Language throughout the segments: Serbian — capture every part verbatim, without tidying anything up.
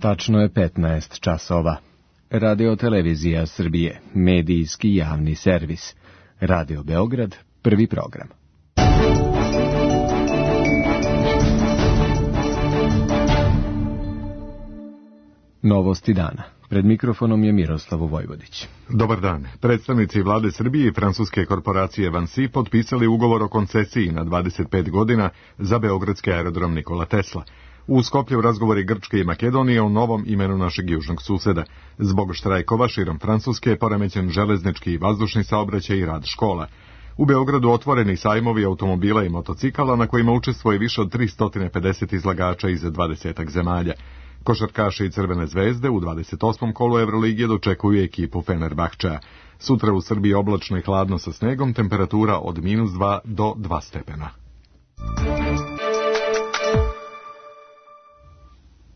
Tačno je petnaest časova. Radio Televizija Srbije, medijski javni servis. Radio Beograd, prvi program. Novosti dana. Pred mikrofonom je Miroslav Vojvodić. Dobar dan. Predstavnici vlade Srbije i francuske korporacije Vansi potpisali ugovor o koncesiji na dvadeset pet godina za beogradski aerodrom Nikola Tesla. U Skoplju razgovori Grčke i Makedonije o novom imenu našeg južnog suseda. Zbog štrajkova širom Francuske je poremećen železnički i vazdušni saobraćaj i rad škola. U Beogradu otvoreni sajmovi automobila i motocikala na kojima učestvuje više od tristo pedeset izlagača iz dvadesetak zemalja. Košarkaši i Crvene zvezde u dvadeset osmom kolu Evroligije dočekuju ekipu Fenerbahčea. Sutra u Srbiji oblačno i hladno sa snegom, temperatura od minus dva do dva stepena.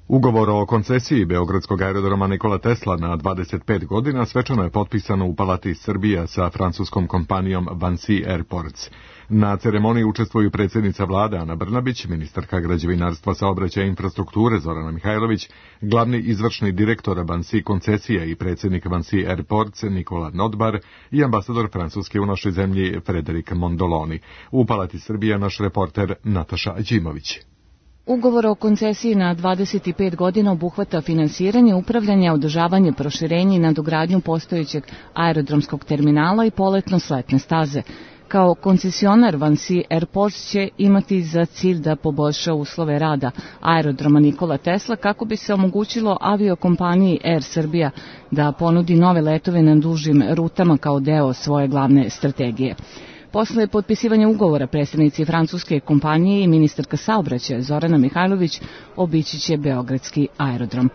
Ugovor o koncesiji beogradskog aerodroma Nikola Tesla na dvadeset pet godina svečano je potpisano u Palati Srbija sa francuskom kompanijom Vansi Airports. Na ceremoniji učestvuju predsjednica vlade Ana Brnabić, ministarka građevinarstva, saobraćaja i infrastrukture Zorana Mihajlović, glavni izvršni direktor Vansi koncesija i predsjednik Vansi Airports Nikola Nodbar i ambasador Francuske u našoj zemlji Frederik Mondoloni. U Palati Srbija naš reporter Nataša Đimović. Ugovor o koncesiji na dvadeset pet godina obuhvata finansiranje, upravljanje, održavanje, proširenje i nadogradnju postojećeg aerodromskog terminala i poletno-sletne staze. Kao koncesionar Vansi Airports će imati za cilj da poboljša uslove rada aerodroma Nikola Tesla kako bi se omogućilo aviokompaniji Air Srbija da ponudi nove letove na dužim rutama kao deo svoje glavne strategije. Posle potpisivanja ugovora predsjednici francuske kompanije i ministarka saobraćaja Zorana Mihajlović obići će beogradski aerodrom.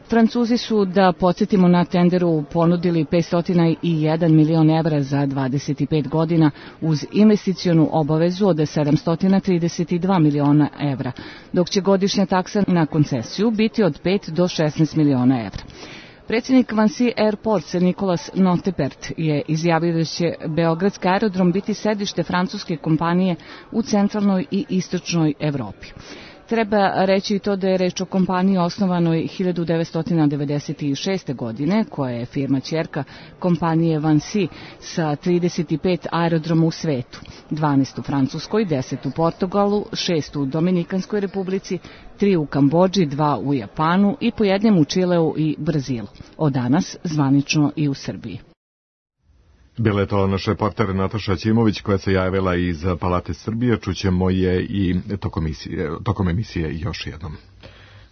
Francuzi su, da podsjetimo, na tenderu ponudili petsto jedan milion evra za dvadeset pet godina uz investicionu obavezu od sedamsto trideset dva miliona evra, dok će godišnja taksa na koncesiju biti od pet do šesnaest miliona evra. Predsjednik Vansi Airports Nicolas Notepert je izjavio da će beogradski aerodrom biti sedište francuske kompanije u centralnoj i istočnoj Evropi. Treba reći i to da je reč o kompaniji osnovanoj hiljadu devetsto devedeset šeste. godine, koja je firma ćerka kompanije Vansi sa trideset pet aerodroma u svetu, dvanaest u Francuskoj, deset u Portugalu, šest u Dominikanskoj republici, tri u Kambodži, dva u Japanu i po jednom u Čileu i Brazilu. Od danas zvanično i u Srbiji. Bila je to naš reporter Nataša Ćimović koja se javila iz Palate Srbije. Čućemo je i tokom emisije, tokom emisije još jednom.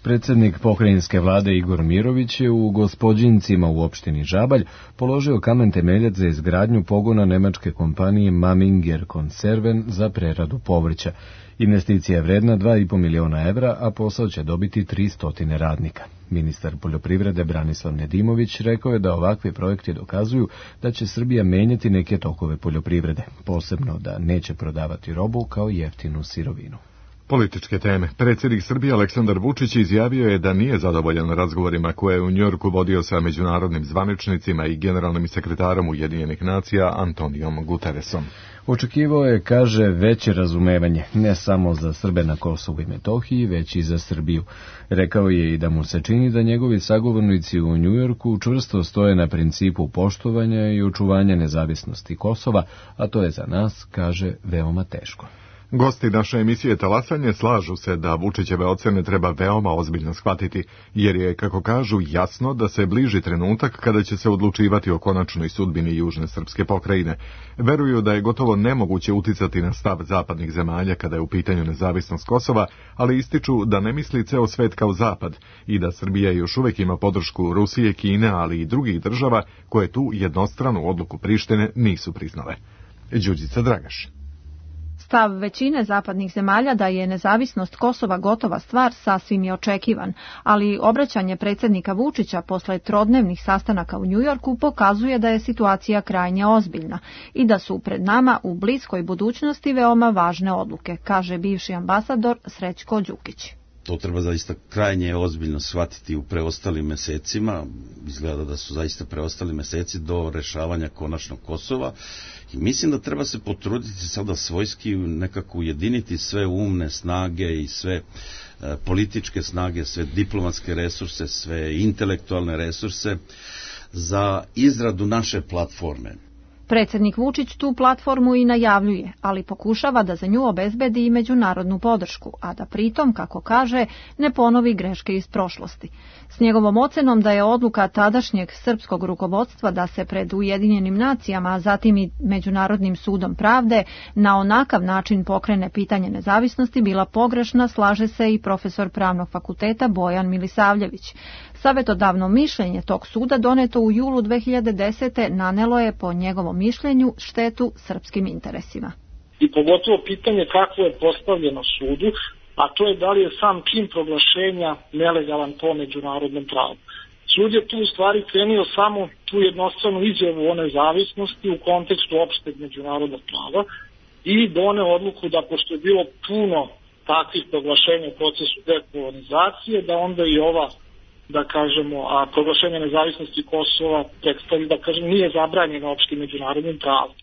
Predsjednik pokrajinske vlade Igor Mirović je u Gospođincima u opštini Žabalj položio kamen temeljac za izgradnju pogona nemačke kompanije Maminger Konserven za preradu povrća. Investicija je vredna dva i po miliona evra, a posao će dobiti tristo radnika. Ministar poljoprivrede Branislav Nedimović rekao je da ovakvi projekti dokazuju da će Srbija menjati neke tokove poljoprivrede, posebno da neće prodavati robu kao jeftinu sirovinu. Političke teme. Predsjednik Srbije Aleksandar Vučić izjavio je da nije zadovoljan razgovorima koje je u Njujorku vodio sa međunarodnim zvaničnicima i generalnim sekretarom Ujedinjenih nacija Antonijom Guterresom. Očekivao je, kaže, veće razumevanje, ne samo za Srbe na Kosovu i Metohiji, već i za Srbiju. Rekao je i da mu se čini da njegovi sagovornici u Njujorku čvrsto stoje na principu poštovanja i očuvanja nezavisnosti Kosova, a to je za nas, kaže, veoma teško. Gosti naše emisije Talasanje slažu se da Vučićeve ocene treba veoma ozbiljno shvatiti, jer je, kako kažu, jasno da se bliži trenutak kada će se odlučivati o konačnoj sudbini južne srpske pokrajine. Veruju da je gotovo nemoguće uticati na stav zapadnih zemalja kada je u pitanju nezavisnost Kosova, ali ističu da ne misli ceo svet kao zapad i da Srbija još uvek ima podršku Rusije, Kine, ali i drugih država koje tu jednostranu odluku Prištine nisu priznale. Đurđica Dragaš. Stav većine zapadnih zemalja da je nezavisnost Kosova gotova stvar sasvim je očekivan, ali obraćanje predsjednika Vučića posle trodnevnih sastanaka u Njujorku pokazuje da je situacija krajnje ozbiljna i da su pred nama u bliskoj budućnosti veoma važne odluke, kaže bivši ambasador Srećko Đukić. to treba zaista krajnje ozbiljno shvatiti u preostalim mesecima. Izgleda da su zaista preostali meseci do rešavanja konačnog Kosova i mislim da treba se potruditi sada svojski nekako ujediniti sve umne snage i sve e, političke snage, sve diplomatske resurse, sve intelektualne resurse za izradu naše platforme. Predsjednik Vučić tu platformu i najavljuje, ali pokušava da za nju obezbedi i međunarodnu podršku, a da pritom, kako kaže, ne ponovi greške iz prošlosti. S njegovom ocenom da je odluka tadašnjeg srpskog rukovodstva da se pred Ujedinjenim nacijama, a zatim i Međunarodnim sudom pravde, na onakav način pokrene pitanje nezavisnosti bila pogrešna, slaže se i profesor Pravnog fakulteta Bojan Milisavljević. Savetodavno mišljenje tog suda doneto u julu dve hiljade desete. nanelo je po njegovom mišljenju štetu srpskim interesima. I pogotovo pitanje kako je postavljeno sudu, a to je da li je sam čin proglašenja nelegalan po međunarodnom pravu. Sud je tu u stvari krenio samo tu jednostranu izjavu o nezavisnosti u kontekstu opšteg međunarodnog prava i doneo odluku da pošto je bilo puno takvih proglašenja u procesu dekolonizacije, da onda i ova da kažemo, a proglašenje nezavisnosti Kosova predstavlja, da kažem, nije zabranjeno opštim međunarodnim pravom.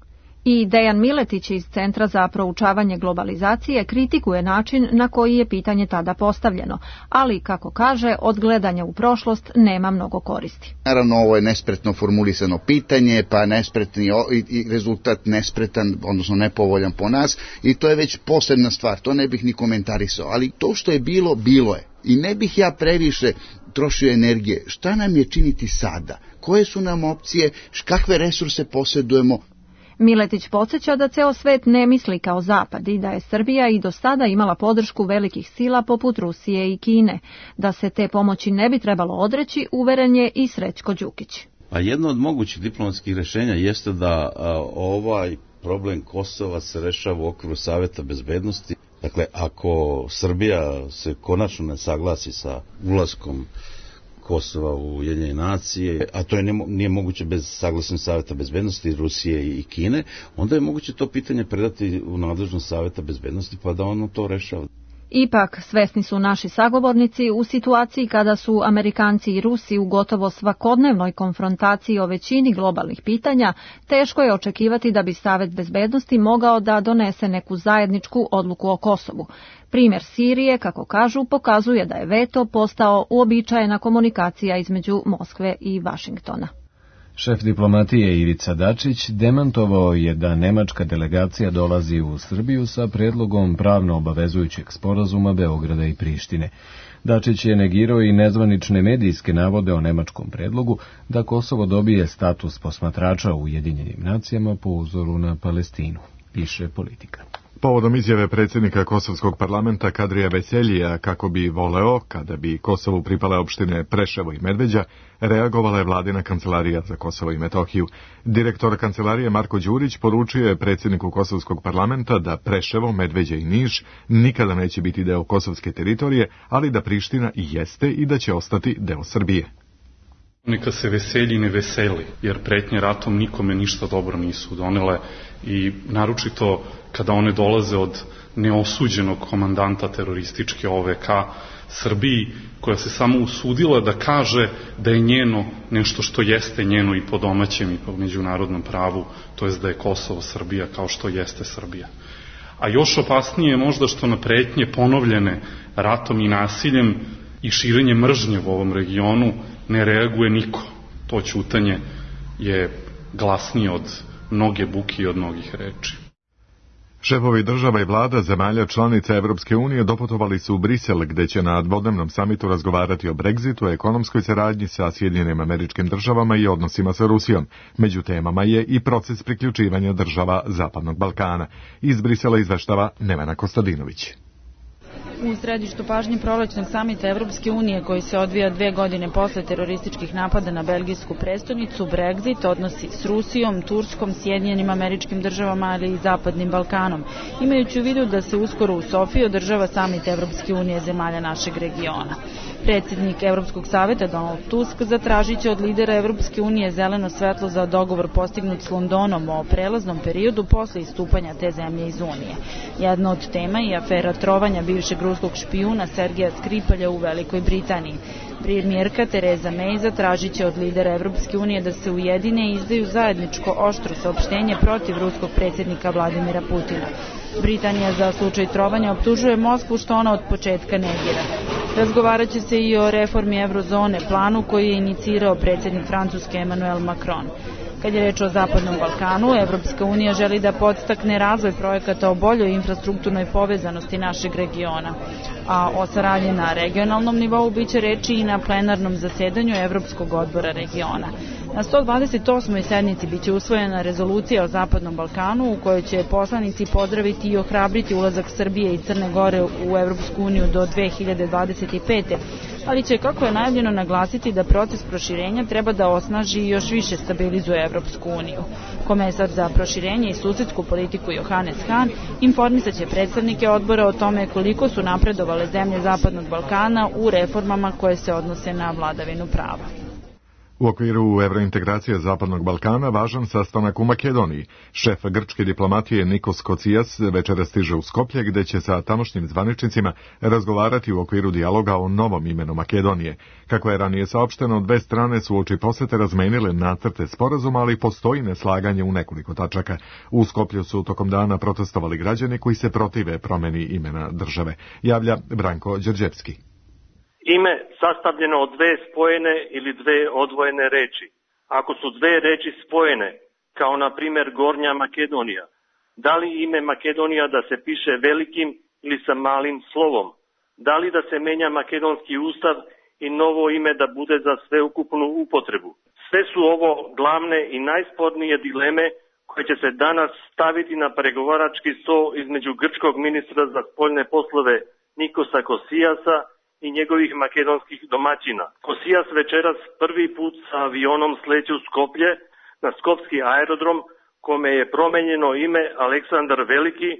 I Dejan Miletić iz Centra za proučavanje globalizacije kritikuje način na koji je pitanje tada postavljeno, ali, kako kaže, od gledanja u prošlost nema mnogo koristi. Naravno, ovo je nespretno formulisano pitanje, pa nespretni i rezultat nespretan, odnosno nepovoljan po nas, i to je već posebna stvar, to ne bih ni komentarisao, ali to što je bilo, bilo je. I ne bih ja previše trošio energije. Šta nam je činiti sada? Koje su nam opcije? Kakve resurse posjedujemo? Miletić podsjeća da ceo svet ne misli kao Zapad i da je Srbija i do sada imala podršku velikih sila poput Rusije i Kine. Da se te pomoći ne bi trebalo odreći, uveren je i Srećko Đukić. A jedno od mogućih diplomatskih rešenja jeste da a, ovaj problem Kosova se rešava u okviru Saveta bezbednosti. Dakle, ako Srbija se konačno ne saglasi sa ulaskom Kosova u Ujedinjene nacije, a to je ne, nije moguće bez saglasnosti Saveta bezbednosti Rusije i Kine, onda je moguće to pitanje predati u nadležnost Saveta bezbednosti pa da ono to rešava. Ipak, svesni su naši sagovornici u situaciji kada su Amerikanci i Rusi u gotovo svakodnevnoj konfrontaciji o većini globalnih pitanja, teško je očekivati da bi Savet bezbednosti mogao da donese neku zajedničku odluku o Kosovu. Primjer Sirije, kako kažu, pokazuje da je veto postao uobičajena komunikacija između Moskve i Vašingtona. Šef diplomatije Ivica Dačić demantovao je da nemačka delegacija dolazi u Srbiju sa predlogom pravno obavezujućeg sporazuma Beograda i Prištine. Dačić je negirao i nezvanične medijske navode o nemačkom predlogu da Kosovo dobije status posmatrača u Ujedinjenim nacijama po uzoru na Palestinu, piše Politika. Povodom izjave predsjednika Kosovskog parlamenta Kadrija Veseljija kako bi voleo, kada bi Kosovu pripale opštine Preševo i Medveđa, reagovala je vladina kancelarija za Kosovo i Metohiju. Direktor kancelarije Marko Đurić poručio je predsjedniku Kosovskog parlamenta da Preševo, Medveđa i Niš nikada neće biti deo kosovske teritorije, ali da Priština i jeste i da će ostati deo Srbije. Neka se Veselji ne veseli, jer pretnje ratom nikome ništa dobro nisu donele i naročito kada one dolaze od neosuđenog komandanta terorističke O V K Srbiji, koja se samo usudila da kaže da je njeno nešto što jeste njeno i po domaćem i po međunarodnom pravu, to jest da je Kosovo Srbija kao što jeste Srbija. A još opasnije je možda što na pretnje ponovljene ratom i nasiljem i širenje mržnje u ovom regionu ne reaguje niko. To ćutanje je glasnije od mnoge buke i od mnogih reči. Šefovi država i vlada zemalja članica Evropske unije doputovali su u Brisel, gde će na dvodnevnom samitu razgovarati o Brexitu, ekonomskoj saradnji sa Sjedinjenim Američkim Državama i odnosima sa Rusijom. Među temama je i proces priključivanja država Zapadnog Balkana. Iz Brisela izveštava Nevena Kostadinović. U središtu pažnje prolećnog samita Evropske unije koji se odvija dve godine posle terorističkih napada na belgijsku prestonicu, Brexit, odnosi s Rusijom, Turskom, Sjedinjenim Američkim Državama, ali i Zapadnim Balkanom, imajući u vidu da se uskoro u Sofiji održava samit Evropske unije zemalja našeg regiona. Predsjednik Evropskog saveta Donald Tusk zatražit će od lidera Evropske unije zeleno svetlo za dogovor postignut s Londonom o prelaznom periodu posle istupanja te zemlje iz Unije. Jedna od tema je afera trovanja bivšeg ruskog špijuna Sergeja Skripalja u Velikoj Britaniji. Premijerka Tereza May zatražit će od lidera Evropske unije da se ujedine i izdaju zajedničko oštro saopštenje protiv ruskog predsjednika Vladimira Putina. Britanija za slučaj trovanja optužuje Moskvu što ona od početka negira. Razgovarat će se i o reformi eurozone, planu koji je inicirao predsjednik Francuske Emmanuel Macron. Kad je reč o Zapadnom Balkanu, Evropska unija želi da podstakne razvoj projekata o boljoj infrastrukturnoj povezanosti našeg regiona, a o saradnji na regionalnom nivou biće reči i na plenarnom zasedanju Evropskog odbora regiona. Na sto dvadeset osmoj sednici biće usvojena rezolucija o Zapadnom Balkanu u kojoj će poslanici pozdraviti i ohrabriti ulazak Srbije i Crne Gore u Evropsku uniju do dve hiljade dvadeset pete. ali će, kako je najavljeno, naglasiti da proces proširenja treba da osnaži i još više stabilizuje Evropsku uniju. Komesar za proširenje i susedsku politiku Johannes Hahn informisat će predstavnike odbora o tome koliko su napredovale zemlje Zapadnog Balkana u reformama koje se odnose na vladavinu prava. U okviru evrointegracije Zapadnog Balkana važan sastanak u Makedoniji. Šef grčke diplomatije Nikos Kocijas večera stiže u Skoplje, gde će sa tamošnjim zvaničnicima razgovarati u okviru dijaloga o novom imenu Makedonije. Kako je ranije saopšteno, dve strane su uoči posete razmenile nacrte sporazuma, ali postoji neslaganje u nekoliko tačaka. U Skoplju su tokom dana protestovali građani koji se protive promeni imena države. Javlja Branko Đerđevski. Ime sastavljeno od dve spojene ili dve odvojene reči. Ako su dve reči spojene, kao na primjer Gornja Makedonija, da li ime Makedonija da se piše velikim ili sa malim slovom? Da li da se menja makedonski ustav i novo ime da bude za sveukupnu upotrebu? Sve su ovo glavne i najspornije dileme koje će se danas staviti na pregovarački sto između grčkog ministra za spoljne poslove Nikosa Kosijasa i njegovih makedonskih domaćina. Kosijas večeras prvi put sa avionom sleće u Skoplje na skopski aerodrom, kome je promenjeno ime Aleksandar Veliki,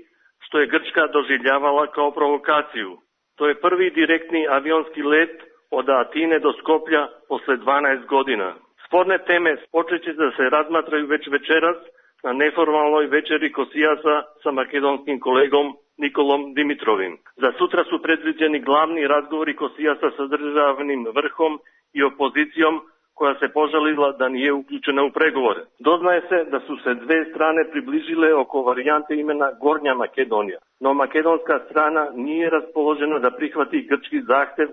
što je Grčka doživljavala kao provokaciju. To je prvi direktni avionski let od Atine do Skoplja posle dvanaest godina. Sporne teme počeće da se razmatraju već večeras na neformalnoj večeri Kosijasa sa makedonskim kolegom Nikolom Dimitrovim. Za sutra su predviđeni glavni razgovori Kosijasa sa državnim vrhom i opozicijom koja se požalila da nije uključena u pregovore. Doznaje se da su se dve strane približile oko varijante imena Gornja Makedonija, no makedonska strana nije raspoložena da prihvati grčki zahtev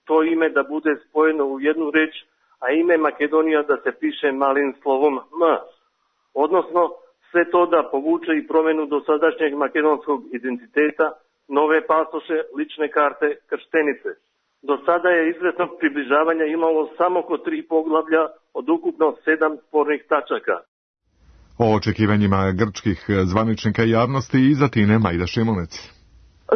to ime da bude spojeno u jednu reč, a ime Makedonija da se piše malim slovom M. Odnosno, sve to da povuče i promenu dosadašnjeg makedonskog identiteta, nove pasoše, lične karte, krštenice. Do sada je izvesnog približavanja imalo samo oko tri poglavlja od ukupno sedam spornih tačaka. O očekivanjima grčkih zvaničnika i javnosti iza Tine Majda Šimunec.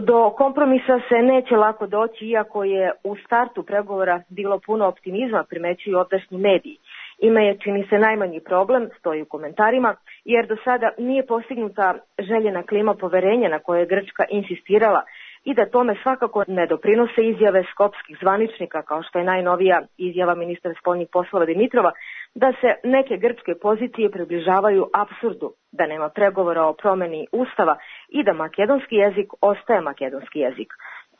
Do kompromisa se neće lako doći, iako je u startu pregovora bilo puno optimizma, primećuju ovdašnji mediji. Ime je, čini se, najmanji problem, stoji u komentarima, jer do sada nije postignuta željena klima poverenja na koje je Grčka insistirala i da tome svakako ne doprinose izjave skopskih zvaničnika, kao što je najnovija izjava ministra spoljnih poslova Dimitrova, da se neke grčke pozicije približavaju apsurdu, da nema pregovora o promeni ustava i da makedonski jezik ostaje makedonski jezik.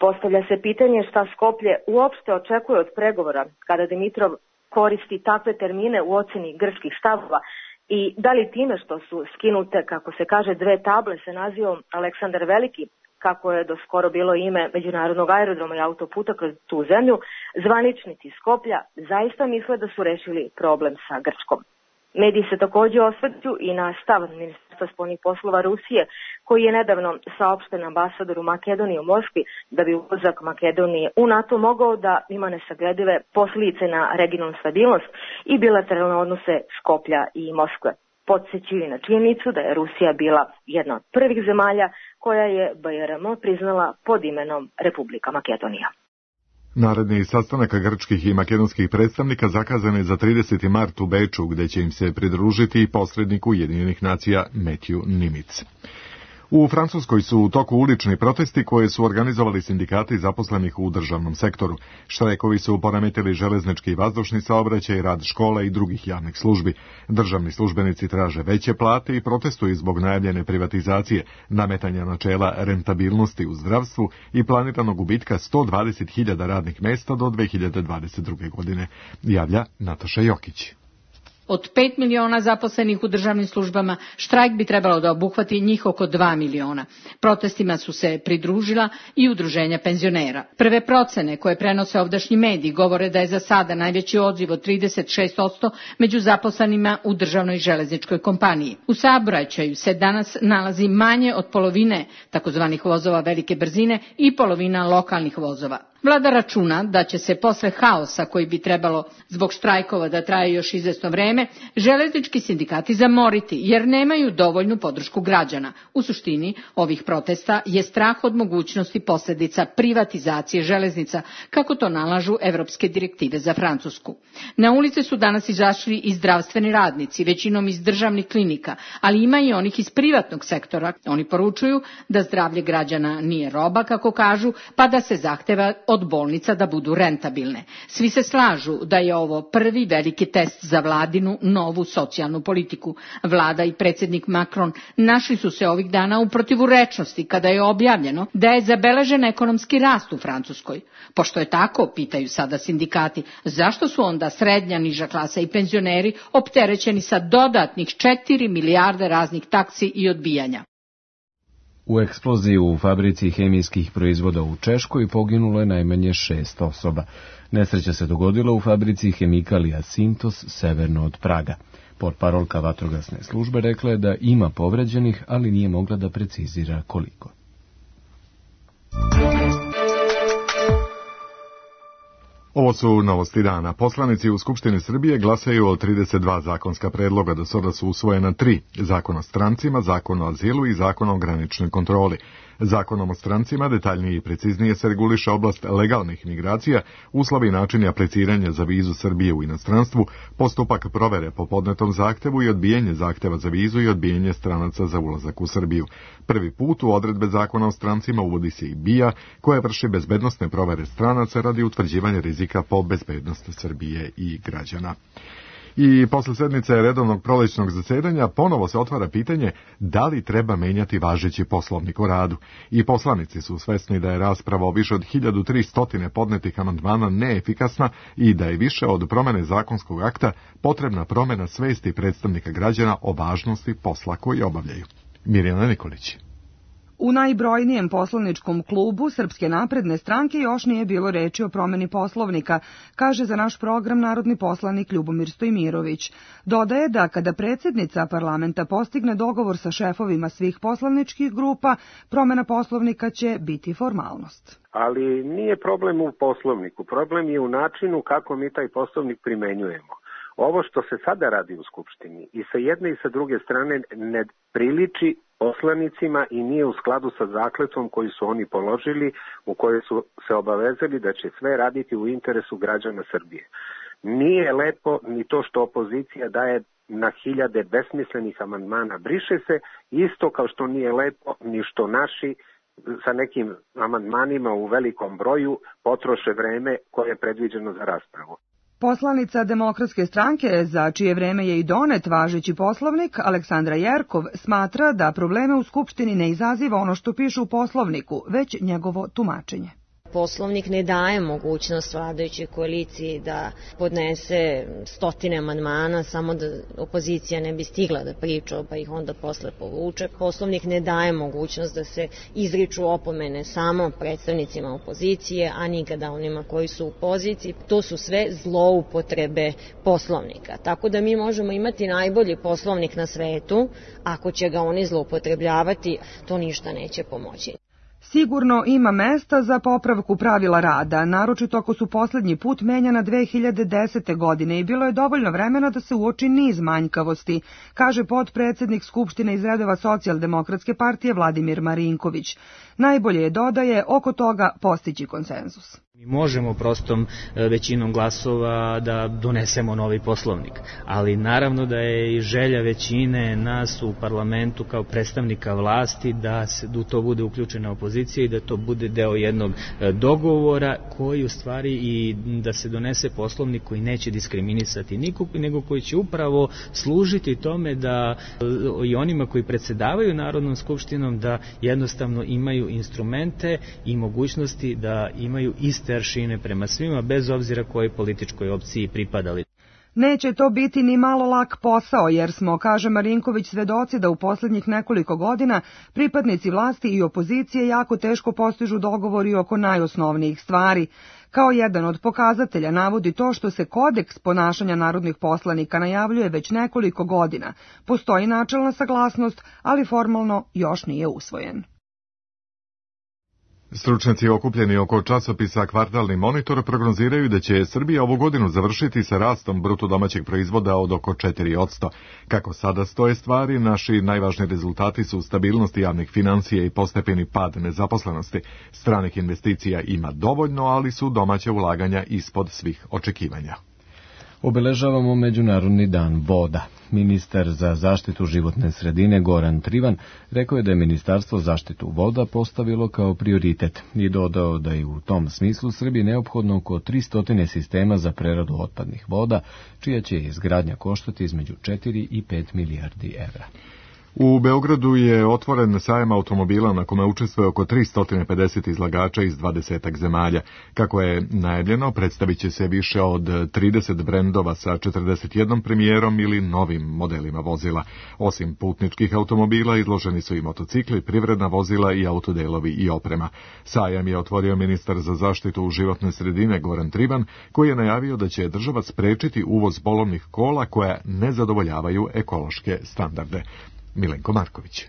Postavlja se pitanje šta Skoplje uopšte očekuje od pregovora kada Dimitrov koristi takve termine u oceni grčkih stavova i da li time što su skinute, kako se kaže, dve table sa nazivom Aleksandar Veliki, kako je do skoro bilo ime međunarodnog aerodroma i autoputa kroz tu zemlju, zvaničnici Skoplja zaista misle da su rešili problem sa Grčkom. Mediji se također osvrću i na stav ministarstva spoljnih poslova Rusije, koji je nedavno saopšten ambasadoru Makedonije u Moskvi da bi ulazak Makedonije u NATO mogao da ima nesagledive posljedice na regionalnu stabilnost i bilateralne odnose Skoplja i Moskve. Podsjećaju na činjenicu da je Rusija bila jedna od prvih zemalja koja je B R M priznala pod imenom Republika Makedonija. Naredni sastanak grčkih i makedonskih predstavnika zakazan je za trideseti mart u Beču, gde će im se pridružiti i posrednik Ujedinjenih nacija Matthew Nimitz. U Francuskoj su u toku ulični protesti koje su organizovali sindikati zaposlenih u državnom sektoru. Štrajkovi su poremetili železnički i vazdušni saobraćaj, rad škola i drugih javnih službi. Državni službenici traže veće plate i protestuju zbog najavljene privatizacije, nametanja načela rentabilnosti u zdravstvu i planiranog gubitka sto dvadeset hiljada radnih mesta do dve hiljade dvadeset druge. godine, javlja Nataša Jokić. Od pet miliona zaposlenih u državnim službama, štrajk bi trebalo da obuhvati njih oko dva miliona. Protestima su se pridružila i udruženja penzionera. Prve procene koje prenose ovdašnji mediji govore da je za sada najveći odziv od trideset šest posto među zaposlenima u državnoj železničkoj kompaniji. U saobraćaju se danas nalazi manje od polovine takozvanih vozova velike brzine i polovina lokalnih vozova. Vlada računa da će se posle haosa koji bi trebalo zbog štrajkova da traje još izvesno vreme, železnički sindikati zamoriti jer nemaju dovoljnu podršku građana. U suštini ovih protesta je strah od mogućnosti posljedica privatizacije železnica, kako to nalažu evropske direktive za Francusku. Na ulice su danas izašli i zdravstveni radnici, većinom iz državnih klinika, ali ima i onih iz privatnog sektora. Oni poručuju da zdravlje građana nije roba, kako kažu, pa da se zahteva od bolnica da budu rentabilne. Svi se slažu da je ovo prvi veliki test za vladinu novu socijalnu politiku. Vlada i predsjednik Macron našli su se ovih dana u protivurečnosti kada je objavljeno da je zabeležen ekonomski rast u Francuskoj. Pošto je tako, pitaju sada sindikati, zašto su onda srednja, niža klasa i penzioneri opterećeni sa dodatnih četiri milijarde raznih taksi i odbijanja? U eksploziji u fabrici hemijskih proizvoda u Češkoj poginulo je najmanje šest osoba. Nesreća se dogodila u fabrici Hemikalija Sintos severno od Praga. Portparolka vatrogasne službe rekla je da ima povređenih, ali nije mogla da precizira koliko. Ovo su novosti dana. Poslanici u Skupštini Srbije glasaju o trideset dva zakonska predloga, do sada su usvojena tri: Zakon o strancima, Zakon o azilu i Zakon o graničnoj kontroli. Zakonom o strancima detaljnije i preciznije se reguliše oblast legalnih migracija, uslovi i načini apliciranja za vizu Srbije u inostranstvu, postupak provere po podnetom zahtevu i odbijanje zahteva za vizu i odbijanje stranaca za ulazak u Srbiju. Prvi put u odredbe Zakona o strancima uvodi se i B I A, koja vrši bezbednosne provere stranaca radi utvrđivanja rizika po bezbednost Srbije i građana. I posle sednice redovnog prolećnog zasedanja ponovo se otvara pitanje da li treba menjati važeći poslovnik o radu. I poslanici su svesni da je rasprava o više od hiljadu tristo podnetih amandmana neefikasna i da je više od promene zakonskog akta potrebna promena svesti predstavnika građana o važnosti posla koji obavljaju. Mirjana Nikolić. U najbrojnijem poslaničkom klubu Srpske napredne stranke još nije bilo reči o promeni poslovnika, kaže za naš program narodni poslanik Ljubomir Stojmirović. Dodaje da kada predsjednica parlamenta postigne dogovor sa šefovima svih poslaničkih grupa, promena poslovnika će biti formalnost. Ali nije problem u poslovniku, problem je u načinu kako mi taj poslovnik primenjujemo. Ovo što se sada radi u Skupštini i sa jedne i sa druge strane ne priliči poslanicima i nije u skladu sa zakletvom koju su oni položili, u kojoj su se obavezali da će sve raditi u interesu građana Srbije. Nije lepo ni to što opozicija daje na hiljade besmislenih amandmana briše se, isto kao što nije lepo ni što naši sa nekim amandmanima u velikom broju potroše vreme koje je predviđeno za raspravu. Poslanica Demokratske stranke, za čije vreme je i donet važeći poslovnik, Aleksandra Jerkov, smatra da probleme u Skupštini ne izaziva ono što piše u poslovniku, već njegovo tumačenje. Poslovnik ne daje mogućnost vladajućoj koaliciji da podnese stotine amandmana samo da opozicija ne bi stigla da priča pa ih onda posle povuče. Poslovnik ne daje mogućnost da se izriču opomene samo predstavnicima opozicije, a nikada onima koji su u poziciji. To su sve zloupotrebe poslovnika. Tako da mi možemo imati najbolji poslovnik na svetu, ako će ga oni zloupotrebljavati, to ništa neće pomoći. Sigurno ima mesta za popravku pravila rada, naročito ako su posljednji put menjana dve hiljade desete. godine i bilo je dovoljno vremena da se uoči niz manjkavosti, kaže potpredsednik Skupštine iz redova Socijaldemokratske partije Vladimir Marinković. Najbolje je, dodaje, oko toga postići konsenzus. Mi možemo prostom većinom glasova da donesemo novi poslovnik, ali naravno da je i želja većine nas u parlamentu kao predstavnika vlasti da se da to bude uključena opozicija i da to bude deo jednog dogovora koji u stvari i da se donese poslovnik koji neće diskriminisati nikog, nego koji će upravo služiti tome da i onima koji predsedavaju Narodnom skupštinom da jednostavno imaju instrumente i mogućnosti da imaju iste aršine prema svima, bez obzira kojoj političkoj opciji pripadali. Neće to biti ni malo lak posao, jer smo, kaže Marinković, svedoci da u posljednjih nekoliko godina pripadnici vlasti i opozicije jako teško postižu dogovori oko najosnovnijih stvari. Kao jedan od pokazatelja navodi to što se kodeks ponašanja narodnih poslanika najavljuje već nekoliko godina. Postoji načelna saglasnost, ali formalno još nije usvojen. Stručnjaci okupljeni oko časopisa Kvartalni monitor prognoziraju da će Srbija ovu godinu završiti sa rastom bruto domaćeg proizvoda od oko četiri posto. Kako sada stoje stvari, naši najvažniji rezultati su stabilnost javnih financija i postepeni pad nezaposlenosti. Stranih investicija ima dovoljno, ali su domaća ulaganja ispod svih očekivanja. Obeležavamo Međunarodni dan voda. Ministar za zaštitu životne sredine Goran Trivan rekao je da je Ministarstvo zaštitu voda postavilo kao prioritet i dodao da je u tom smislu Srbiji neophodno oko tristo sistema za preradu otpadnih voda, čija će izgradnja koštati između četiri i pet milijardi evra. U Beogradu je otvoren sajam automobila na kome učestvuje oko tristo pedeset izlagača iz dvadesetak zemalja. Kako je najavljeno, predstavit će se više od trideset brendova sa četrdeset jednom premijerom ili novim modelima vozila. Osim putničkih automobila, izloženi su i motocikli, privredna vozila i autodelovi i oprema. Sajam je otvorio ministar za zaštitu životne sredine Goran Trivan, koji je najavio da će država sprečiti uvoz polovnih kola koja ne zadovoljavaju ekološke standarde. Milenko Marković.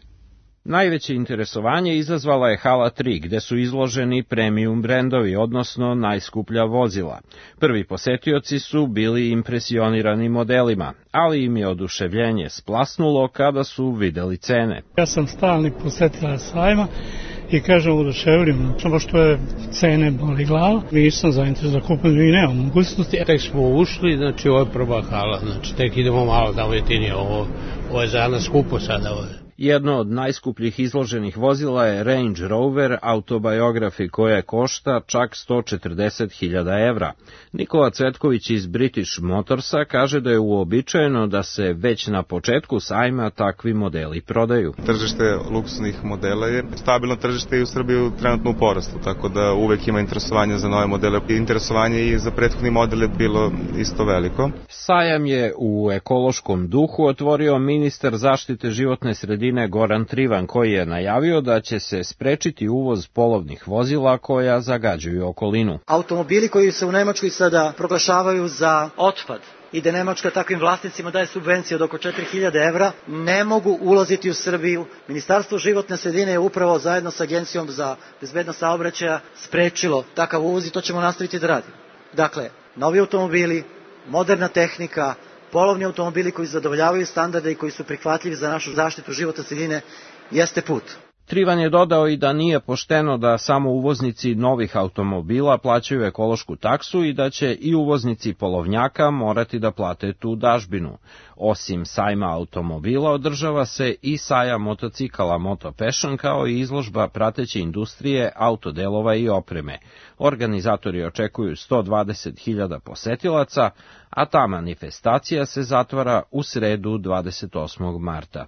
Najveće interesovanje izazvala je hala tri, gde su izloženi premium brendovi, odnosno najskuplja vozila. Prvi posetioci su bili impresionirani modelima, ali im je oduševljenje splasnulo kada su videli cene. Ja sam stalni posetilac sajma i kažem oduševljeno, samo što je cene boli glava. Nisam zainteresovan da kupim i nemam mogućnosti. Tek smo ušli, znači ovo je prva hala, znači tek idemo malo da ujetinije, ovo, ovo je za nas skupo sada ovdje. Jedno od najskupljih izloženih vozila je Range Rover Autobiography, koja košta čak sto četrdeset hiljada evra. Nikola Cvetković iz British Motorsa kaže da je uobičajeno da se već na početku sajma takvi modeli prodaju. Tržište luksuznih modela je stabilno tržište i u Srbiji trenutno u porastu, tako da uvek ima interesovanje za nove modele. Interesovanje i za prethodni model je bilo isto veliko. Sajam je u ekološkom duhu otvorio ministar zaštite životne sredine Goran Trivan, koji je najavio da će se sprečiti uvoz polovnih vozila koja zagađuju okolinu. Automobili koji se u Nemačkoj sada proglašavaju za otpad i da Nemačka takvim vlasnicima daje subvencije od oko četiri hiljade evra, ne mogu ulaziti u Srbiju. Ministarstvo životne sredine je upravo zajedno sa Agencijom za bezbednost saobraćaja sprečilo takav uvoz i to ćemo nastaviti da radimo. Dakle, novi automobili, moderna tehnika, polovni automobili koji zadovoljavaju standarde i koji su prihvatljivi za našu zaštitu životne sredine jeste put. Trivan je dodao i da nije pošteno da samo uvoznici novih automobila plaćaju ekološku taksu i da će i uvoznici polovnjaka morati da plate tu dažbinu. Osim sajma automobila održava se i sajam motocikala Moto Passion, kao i izložba prateće industrije, autodelova i opreme. Organizatori očekuju sto dvadeset hiljada posetilaca, a ta manifestacija se zatvara u sredu dvadeset osmog marta.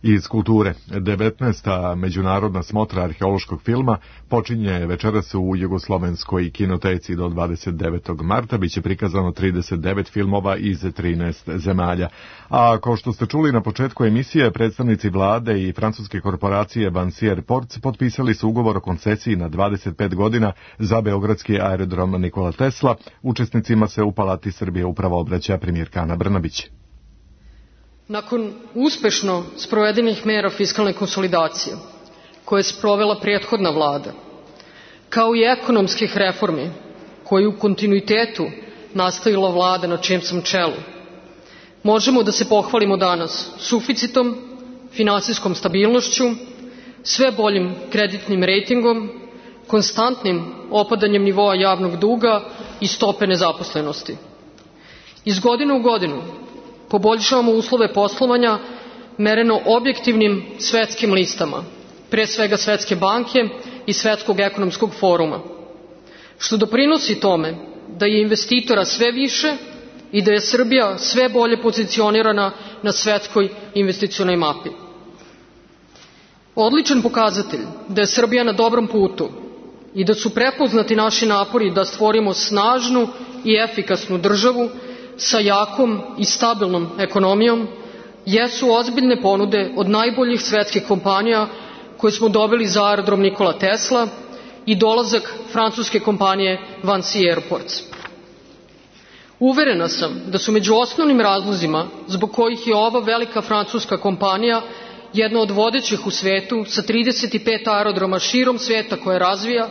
Iz kulture, devetnaesta međunarodna smotra arheološkog filma počinje večeras u Jugoslovenskoj kinoteci do dvadeset devetog marta. Biće prikazano trideset devet filmova iz trinaest zemalja. A kao što ste čuli na početku emisije, predstavnici vlade i francuske korporacije Vinci Airports potpisali su ugovor o koncesiji na dvadeset pet godina za beogradski aerodrom Nikola Tesla. Učesnicima se u Palati Srbije upravo obraća premijerka Ana Brnabić. Nakon uspešno sprovedenih mera fiskalne konsolidacije, koje je sprovela prethodna vlada, kao i ekonomskih reformi, koje u kontinuitetu nastavila vlada na čijem sam čelu, možemo da se pohvalimo danas suficitom, finansijskom stabilnošću, sve boljim kreditnim rejtingom, konstantnim opadanjem nivoa javnog duga i stope nezaposlenosti. Iz godine u godinu poboljšavamo uslove poslovanja mereno objektivnim svetskim listama, pre svega Svetske banke i Svetskog ekonomskog foruma, što doprinosi tome da je investitora sve više i da je Srbija sve bolje pozicionirana na svetskoj investicionoj mapi. Odličan pokazatelj da je Srbija na dobrom putu i da su prepoznati naši napori da stvorimo snažnu i efikasnu državu sa jakom i stabilnom ekonomijom jesu ozbiljne ponude od najboljih svetskih kompanija koje smo dobili za aerodrom Nikola Tesla i dolazak francuske kompanije Vinci Airports. Uverena sam da su među osnovnim razlozima zbog kojih je ova velika francuska kompanija jedna od vodećih u svetu sa trideset pet aerodroma širom sveta koje razvija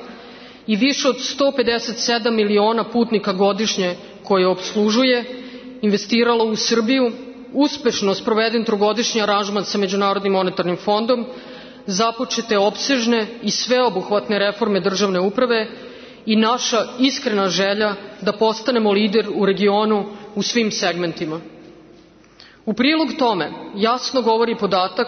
i više od sto pedeset sedam miliona putnika godišnje koje opslužuje, investirala u Srbiju, uspešno sproveden trogodišnji aranžman sa Međunarodnim monetarnim fondom, započete opsežne i sveobuhvatne reforme državne uprave i naša iskrena želja da postanemo lider u regionu u svim segmentima. U prilog tome jasno govori podatak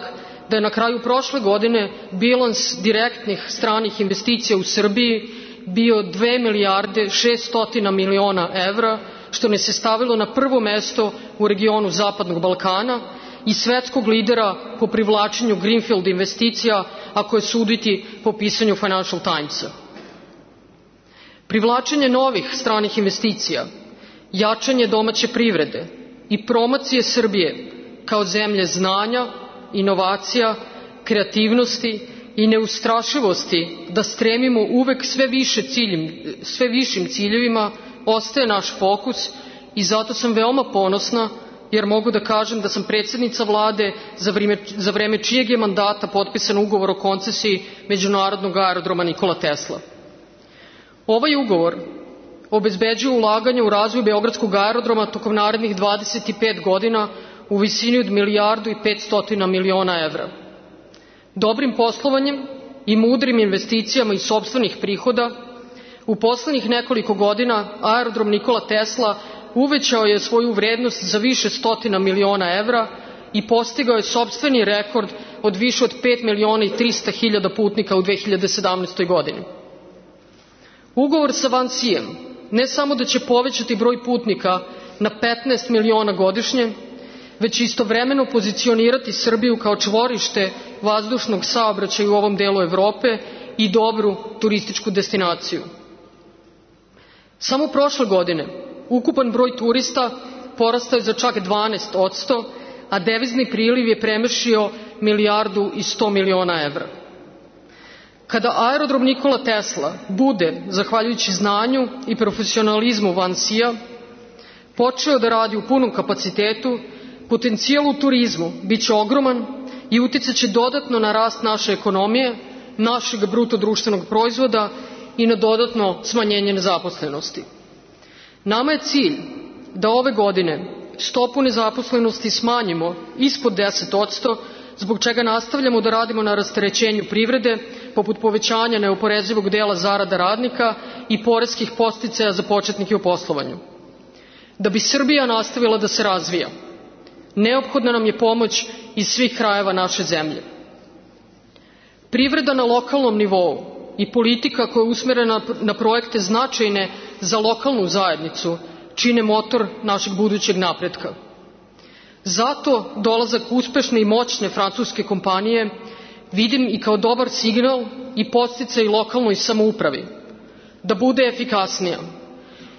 da je na kraju prošle godine bilans direktnih stranih investicija u Srbiji bio dve milijarde šessto miliona evra, što nas je stavilo na prvo mesto u regionu Zapadnog Balkana i svetskog lidera po privlačenju greenfield investicija, ako je suditi po pisanju Financial Timesa. Privlačenje novih stranih investicija, jačanje domaće privrede i promocije Srbije kao zemlje znanja, inovacija, kreativnosti i neustrašivosti da stremimo uvek sve, više ciljim, sve višim ciljevima ostaje naš fokus i zato sam veoma ponosna jer mogu da kažem da sam predsjednica vlade za vreme, za vreme čijeg je mandata potpisan ugovor o koncesiji Međunarodnog aerodroma Nikola Tesla. Ovaj ugovor obezbeđuje ulaganje u razvoj Beogradskog aerodroma tokom narednih dvadeset pet godina u visini od milijardu i petsto miliona evra. Dobrim poslovanjem i mudrim investicijama iz sopstvenih prihoda u poslednjih nekoliko godina aerodrom Nikola Tesla uvećao je svoju vrednost za više stotina miliona evra i postigao je sopstveni rekord od više od pet miliona i trista hiljada putnika u dve hiljade sedamnaestoj godini. Ugovor sa Vincijem ne samo da će povećati broj putnika na petnaest miliona godišnje, već istovremeno pozicionirati Srbiju kao čvorište vazdušnog saobraćaja u ovom delu Evrope i dobru turističku destinaciju. Samo prošle godine ukupan broj turista porastao je za čak dvanaest posto, a devizni priliv je premašio milijardu i sto miliona evra. Kada aerodrom Nikola Tesla bude, zahvaljujući znanju i profesionalizmu Vincija, počeo da radi u punom kapacitetu, potencijal u turizmu biće ogroman i uticaće dodatno na rast naše ekonomije, našeg bruto društvenog proizvoda i na dodatno smanjenje nezaposlenosti. Nama je cilj da ove godine stopu nezaposlenosti smanjimo ispod deset posto, zbog čega nastavljamo da radimo na rasterećenju privrede, poput povećanja neoporezivog dela zarada radnika i poreskih podsticaja za početnike u poslovanju. Da bi Srbija nastavila da se razvija, neophodna nam je pomoć iz svih krajeva naše zemlje. Privreda na lokalnom nivou i politika koja je usmerena na projekte značajne za lokalnu zajednicu čine motor našeg budućeg napretka. Zato dolazak uspešne i moćne francuske kompanije vidim i kao dobar signal i podsticaj lokalnoj samoupravi da bude efikasnija.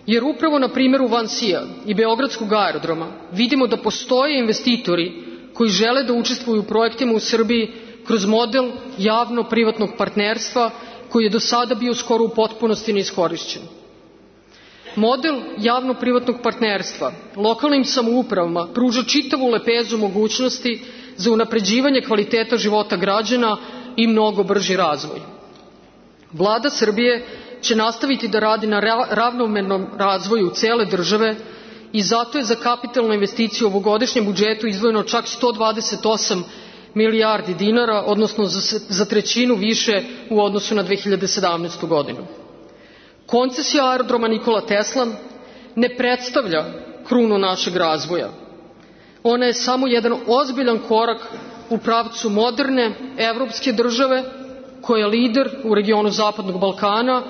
Jer upravo na primjeru Vincija i Beogradskog aerodroma vidimo da postoje investitori koji žele da učestvuju u projektima u Srbiji kroz model javno-privatnog partnerstva koji je do sada bio skoro u potpunosti neiskorišćen. Model javno-privatnog partnerstva lokalnim samoupravama pruža čitavu lepezu mogućnosti za unapređivanje kvaliteta života građana i mnogo brži razvoj. Vlada Srbije će nastaviti da radi na ravnomernom razvoju cele države i zato je za kapitalne investicije u ovogodišnjem budžetu izdvojeno čak sto dvadeset osam milijardi dinara, odnosno za, za trećinu više u odnosu na dve hiljade sedamnaestu. godinu. Koncesija aerodroma Nikola Tesla ne predstavlja krunu našeg razvoja. Ona je samo jedan ozbiljan korak u pravcu moderne evropske države koja je lider u regionu Zapadnog Balkana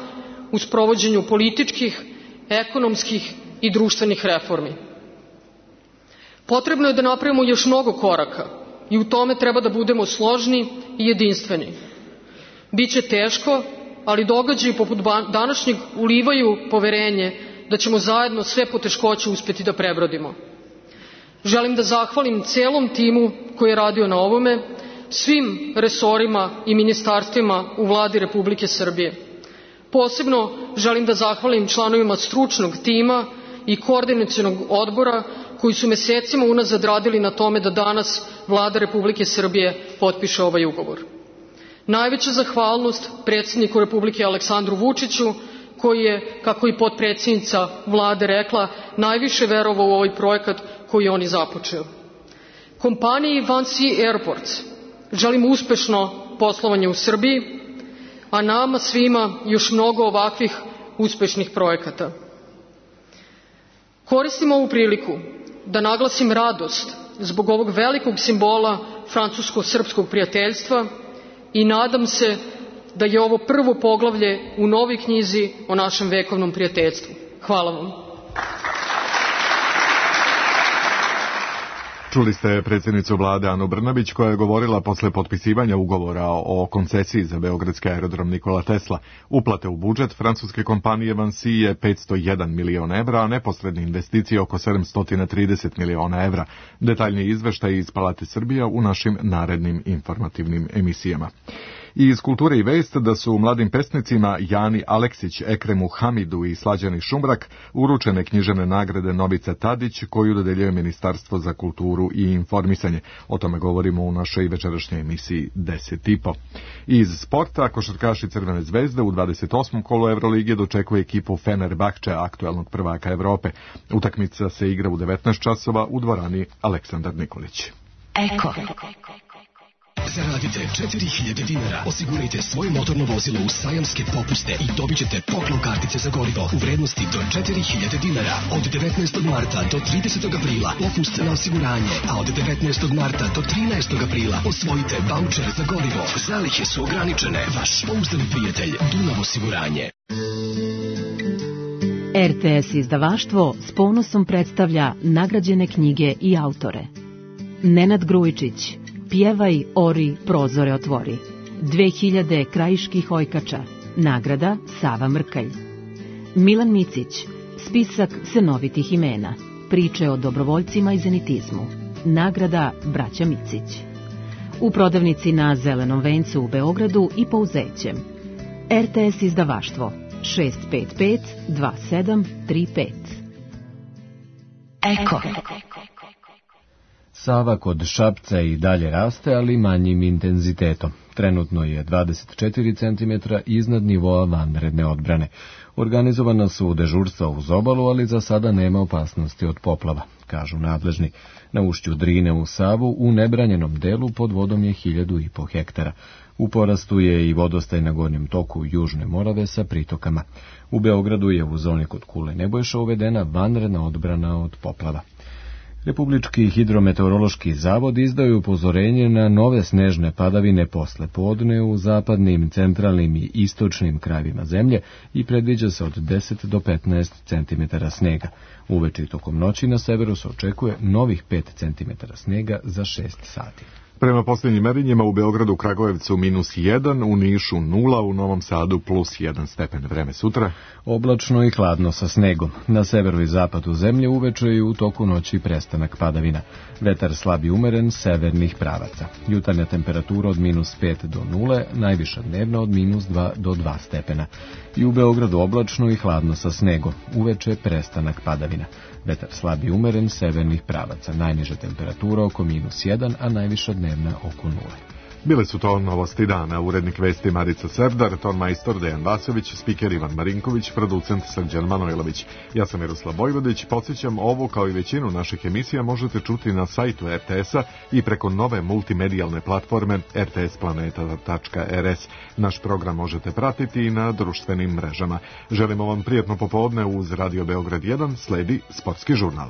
u sprovođenju političkih, ekonomskih i društvenih reformi. Potrebno je da napravimo još mnogo koraka i u tome treba da budemo složni i jedinstveni. Biće teško, ali događaji poput današnjeg ulivaju poverenje da ćemo zajedno sve poteškoće uspeti da prebrodimo. Želim da zahvalim celom timu koji je radio na ovome, svim resorima i ministarstvima u Vladi Republike Srbije. Posebno želim da zahvalim članovima stručnog tima i koordinacionog odbora koji su mesecima unazad radili na tome da danas Vlada Republike Srbije potpiše ovaj ugovor. Najveća zahvalnost predsjedniku Republike Aleksandru Vučiću, koji je, kako i potpredsjednica Vlade rekla, najviše verovao u ovaj projekat koji je on i započeo. Kompaniji Vansi Airports želim uspešno poslovanje u Srbiji, a nama svima još mnogo ovakvih uspešnih projekata. Koristim ovu priliku da naglasim radost zbog ovog velikog simbola francusko-srpskog prijateljstva i nadam se da je ovo prvo poglavlje u novoj knjizi o našem vekovnom prijateljstvu. Hvala vam. Čuli ste predsjednicu vlade Anu Brnabić koja je govorila posle potpisivanja ugovora o koncesiji za beogradski aerodrom Nikola Tesla. Uplate u budžet francuske kompanije Vansi je petsto jedan miliona evra, a neposredne investicije oko sedamsto trideset miliona evra. Detaljni izveštaj iz Palate Srbija u našim narednim informativnim emisijama. I iz kulture i vest da su mladim pesnicima Jani Aleksić, Ekremu Hamidu i Slađani Šumbrak uručene književne nagrade Novica Tadić koju dodeljuje Ministarstvo za kulturu i informisanje. O tome govorimo u našoj večerašnjoj emisiji deset i po. Iz sporta košarkaši Crvene zvezde u dvadeset osmom kolu Evrolige dočekuje ekipu Fenerbahče, aktuelnog prvaka Evrope. Utakmica se igra u devetnaest časova u dvorani Aleksandar Nikolić. Eko. Zaradite četiri hiljade dinara, osigurajte svoje motorno vozilo u sajamske popuste i dobit ćete poklon kartice za gorivo u vrednosti do četiri hiljade dinara. Od devetnaestog marta do tridesetog aprila popust na osiguranje, a od devetnaestog marta do trinaestog aprila osvojite vaučer za gorivo. Zalihe su ograničene. Vaš pouzdani prijatelj Dunav osiguranje. R T S izdavaštvo s ponosom predstavlja nagrađene knjige i autore. Nenad Grujičić, Pjevaj, ori, prozore otvori. dve hiljade krajiških ojkača. Nagrada Sava Mrkalj. Milan Micić, spisak senovitih imena. Priče o dobrovoljcima i zenitizmu. Nagrada Braća Micić. U prodavnici na Zelenom vencu u Beogradu i Pouzećem. R T S izdavaštvo šest pet pet dva sedam tri pet. Eko. Sava kod Šapca i dalje raste, ali manjim intenzitetom. Trenutno je dvadeset četiri centimetra iznad nivoa vanredne odbrane. Organizovana su dežurstva uz obalu, ali za sada nema opasnosti od poplava, kažu nadležni. Na ušću Drine u Savu u nebranjenom delu pod vodom je hiljadu i po hektara. U porastu je i vodostaj na gornjem toku Južne Morave sa pritokama. U Beogradu je u zoni kod Kule Nebojša uvedena vanredna odbrana od poplava. Republički hidrometeorološki zavod izdao je upozorenje na nove snežne padavine posle podne u zapadnim, centralnim i istočnim krajevima zemlje i predviđa se od deset do petnaest centimetara snega. Uveče i tokom noći na severu se očekuje novih pet centimetara snega za šest sati. Prema posljednjim merenjima u Beogradu, Kragujevcu minus jedan, u Nišu nula, u Novom Sadu plus jedan stepen. Vreme sutra. Oblačno i hladno sa snegom. Na severu i zapadu zemlje uveče i u toku noći prestanak padavina. Vetar slab i umeren severnih pravaca. Jutarnja temperatura od minus pet do nule, najviša dnevna od minus dva do dva stepena. I u Beogradu oblačno i hladno sa snegom. Uveče prestanak padavina. Vetar slab i umeren severnih pravaca. Najniža temperatura oko minus jedan, a najviša dnevna oko nule. Bile su to novosti dana, urednik vesti Marica Serdar, ton majstor Dejan Vasović, spiker Ivan Marinković, producent Srđan Manojlović. Ja sam Miroslav Bojvodić, podsjećam, ovo kao i većinu naših emisija možete čuti na sajtu er te esa i preko nove multimedijalne platforme er te es planeta tačka er es. Naš program možete pratiti i na društvenim mrežama. Želimo vam prijatno popodne uz Radio Beograd jedan, sledi Sportski žurnal.